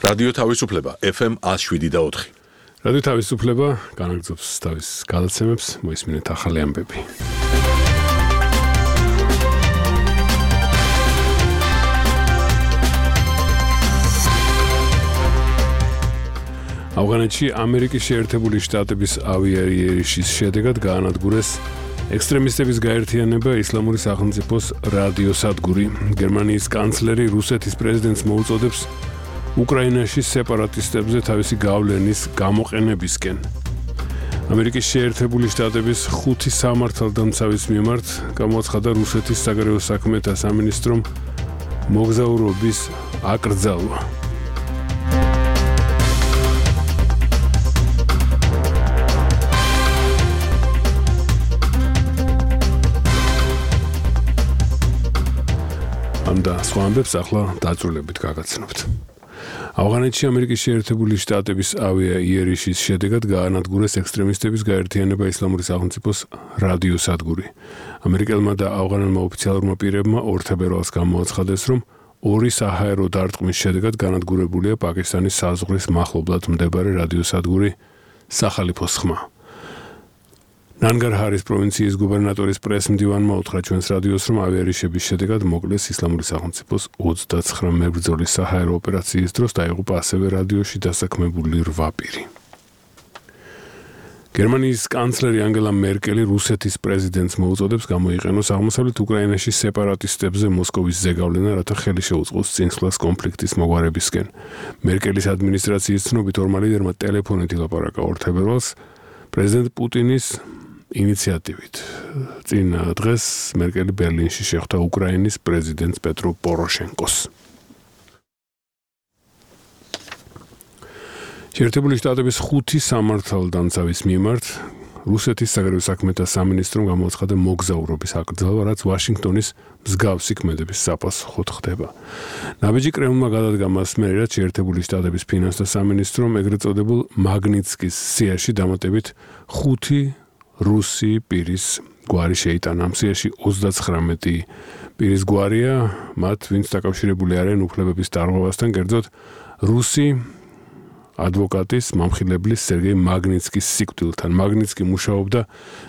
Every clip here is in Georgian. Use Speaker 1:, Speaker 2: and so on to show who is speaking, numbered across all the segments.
Speaker 1: რადიო თავისუფლება FM 107.4.
Speaker 2: რადიო თავისუფლება განაგრძობს თავის გადაცემებს, მოისმინეთ ახალი ამბები. ავღანეთში ამერიკის შეერთებული შტატების ავიაიერიშის შედეგად გაანადგურეს ექსტრემისტების გაერთიანება ისლამური სახელმწიფოს რადიოსადგური. გერმანიის კანცლერი რუსეთის პრეზიდენტს მოუწოდებს უკრაინაში სეპარატისტებზე თავისი გავლენის გამოყენებისკენ. ამერიკის შეერთებული შტატების 5 სამართალდამცავის მიმართ გამოაცხადა რუსეთის საგარეო საქმეთა სამინისტრომ მოგზაურობის აკრძალვა. და სხვა ამბებს ახლა დაწვრილებით გაგაცნობთ. ავღანეთში ამერიკის შეერთებული შტატების ავიაიერიშის შედეგად გაანადგურეს ექსტრემისტების გაერთიანება ისლამური სახელმწიფოს რადიოსადგური. ამერიკელმა და ავღანელმა ოფიციალურმა პირებმა 2 თებერვალს გამოაცხადეს, რომ 2 საჰაერო დარტყმის შედეგად განადგურებულია პაკისტანის საზღვრის მახლობლად მდებარე რადიოსადგური სახალიფოს ხმა. ნანგარჰარის პროვინციის გუბერნატორის პრეს-მდივანმა უთხრა ჩვენს რადიოს, რომ ავიაერიშების შედეგად მოკლეს ისლამური სახელმწიფოს 29 მებრძოლის საჰაერო ოპერაციის დროს დაიღუპა ასევე რადიოში დასაქმებული 8 პირი. გერმანიის კანცლერი ანგელა მერკელი რუსეთის პრეზიდენტს მოუწოდებს გამოიყენოს აღმოსავლეთ უკრაინაში სეპარატისტებზე მოსკოვის ზეგავლენა, რათა ხელი შეუწყოს წინსვლას კონფლიქტის მოგვარებისკენ. მერკელის ადმინისტრაციის ცნობით ორმა ლიდერმა ტელეფონით ილაპარაკა 2 თებერვალს პრეზიდენტ პუტინის ინიციატივით. წინ დღეს მერკელი ბერლინში შეხვდა უკრაინის პრეზიდენტს პეტრო პოროშენკოს. შეერთებული შტატების 5 სამართალდამცავის მიმართ რუსეთის საგარეო საქმეთა სამინისტრომ გამოაცხადა მოგზაურობის აკრძალვა, რაც ვაშინგტონის მსგავსი ქმედების საპასუხოდ ხდება. ნაბიჯი კრემლმა გადადგა მას მერე, რაც შეერთებული შტატების ფინანსთა სამინისტრომ ეგრეთ წოდებულ მაგნიცკის სიაში დამატებით 5 რუსი პირის გვარი შეიტანა. ამ სიაში 39 პირის გვარია, მათ ვინც დაკავშირებული არიან უფლებების დარღვევასთან, კერძოდ რუსი ადვოკატის მამხილებლის სერგეი მაგნიცკის სიკვდილთან. მაგნიცკი მუშაობდა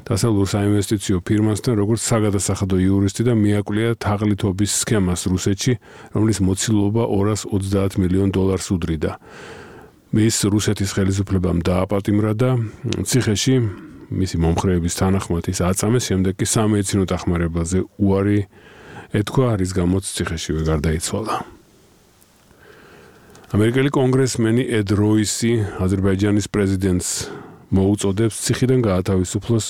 Speaker 2: დასავლურ საინვესტიციო ფირმასთან, როგორც საგადასახადო იურისტი და მიაკვლია თაღლითობის სქემას რუსეთში, რომლის მოცილობა $230 მილიონ უდრიდა. მის რუსეთის ხელისუფლებამ დააპატიმრა და ციხეში მისი მომხრეების თანახმად ის აწამეს, შემდეგ კი სამედიცინო დახმარებაზე უარი ეთქვა, რის გამოც ციხეშივე გარდაიცვალა. ამერიკელი კონგრესმენი ედ როისი აზერბაიჯანის პრეზიდენტს მოუწოდებს ციხიდან გაათავისუფლოს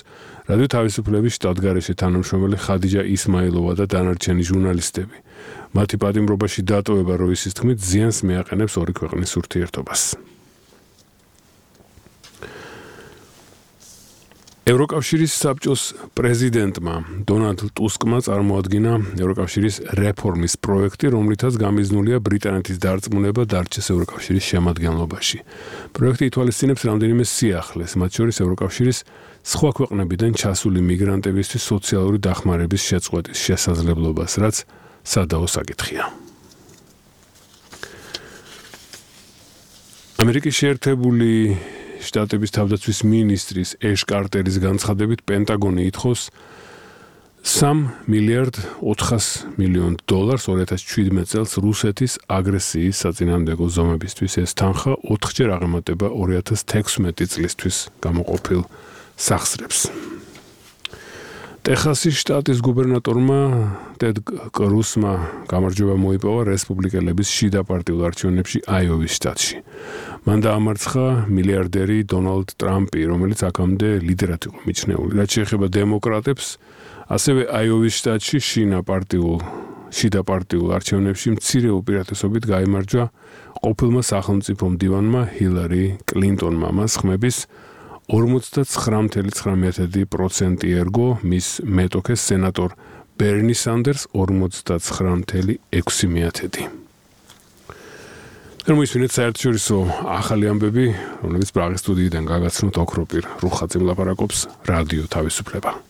Speaker 2: რადიო თავისუფლების შტატგარეშე თანამშრომელი ხადიჯა ისმაილოვა და დანარჩენი ჟურნალისტები. მათი პატიმრობაში დატოვება როისის თქმით ზიანს მიაყენებს 2 ქვეყნის ურთიერთობას. ევროკავშირის საბჭოს პრეზიდენტმა დონალდ ტუსკმა წარმოადგინა ევროკავშირის რეფორმის პროექტი, რომლითაც გამიზნულია ბრიტანეთის დარწმუნება დარჩეს ევროკავშირის შემადგენლობაში. პროექტი ითვალისწინებს რამდენიმე სიახლეს, მათ შორის ევროკავშირის სხვა ქვეყნებიდან ჩასული მიგრანტებისთვის სოციალური დახმარების შეწყვეტის შესაძლებლობას, რაც სადაო საკითხია. ამერიკის შეერთებული შტატების თავდაცვის მინისტრის ეშ კარტერის განცხადებით პენტაგონი ითხოვს $3 მილიარდ 400 მილიონ 2017 წელს რუსეთის აგრესიის საწინააღმდეგო ზომებისთვის. ეს თანხა 4-ჯერ აღემატება 2016 წლისთვის გამოყოფილ სახსრებს. ტეხასის შტატის გუბერნატორმა ტედ კრუსმა გამარჯვება მოიპოვა რესპუბლიკელების შიდა პარტიულ არჩევნებში აიოვის შტატში. მან დაამარცხა მილიარდერი დონალდ ტრამპი, რომელიც აქამდე ლიდერად იყო მიჩნეული. რაც შეეხება დემოკრატებს, ასევე აიოვის შტატში შიდა პარტიულ არჩევნებში მცირე უპირატესობით გაიმარჯვა ყოფილმა სახელმწიფო მდივანმა ჰილარი კლინტონმა. მას ხმების 49.9% ერგო მის მეტოქეს სენატორ ბერნი სანდერს 49.6%. მოისმინეთ საერთაშორისო ახალი ამბები, რომლებიც პრაღის სტუდიიდან გაგაცნობთ ოქროპირ რუხაძემ ლაპარაკობს რადიო თავისუფლება.